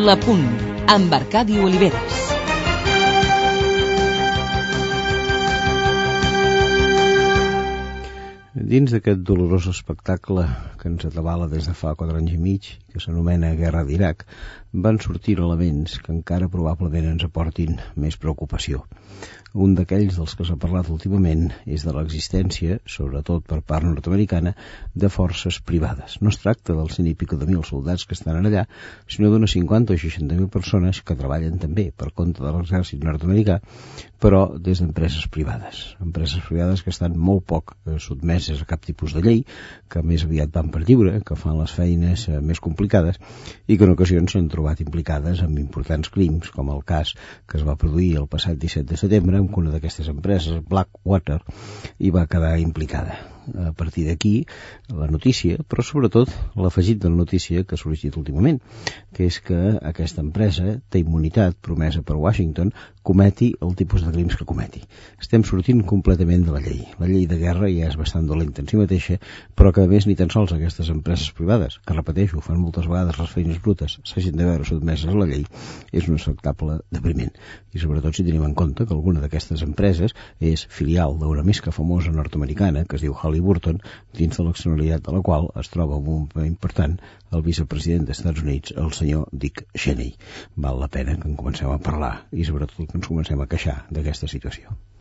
La Punt, amb Arcadi Oliveres. Dins d'aquest dolorós espectacle que ens atabala des de fa 4 anys i mig, que s'anomena Guerra d'Iraq, van sortir elements que encara probablement ens aportin més preocupació. Un d'aquells dels que s'ha parlat últimament és de l'existència, sobretot per part nord-americana, de forces privades. No es tracta dels 100 i pico de 1.000 soldats que estan allà, sinó d'unes 50 o 60.000 persones que treballen també per compte de l'exèrcit nord-americà, però des d'empreses privades. Empreses privades que estan molt poc sotmeses a cap tipus de llei, que més aviat van per lliure, que fan les feines més complicades i que en ocasions s'han trobat implicades en importants crims, com el cas que es va produir el passat 17 de setembre, en què una d'aquestes empreses, Blackwater, hi va quedar implicada. A partir d'aquí, la notícia, però sobretot l'afegit de la notícia que ha sorgit últimament, que és que aquesta empresa té immunitat promesa per Washington, cometi el tipus de crims que cometi. Estem sortint completament de la llei. La llei de guerra ja és bastant dolenta en si mateixa, però que a més ni tan sols aquestes empreses privades, que repeteixo, fan moltes vegades les feines brutes, s'hagin de veure sotmeses a la llei, és un espectacle depriment. I sobretot si tenim en compte que alguna d'aquestes empreses és filial d'una més que famosa nord-americana, que es diu Halliburton, dins de l'accionariat de la qual es troba un paper important el vicepresident dels Estats Units, el senyor Dick Cheney. Val la pena que en comencem a parlar i sobretot que ens comencem a queixar d'aquesta situació.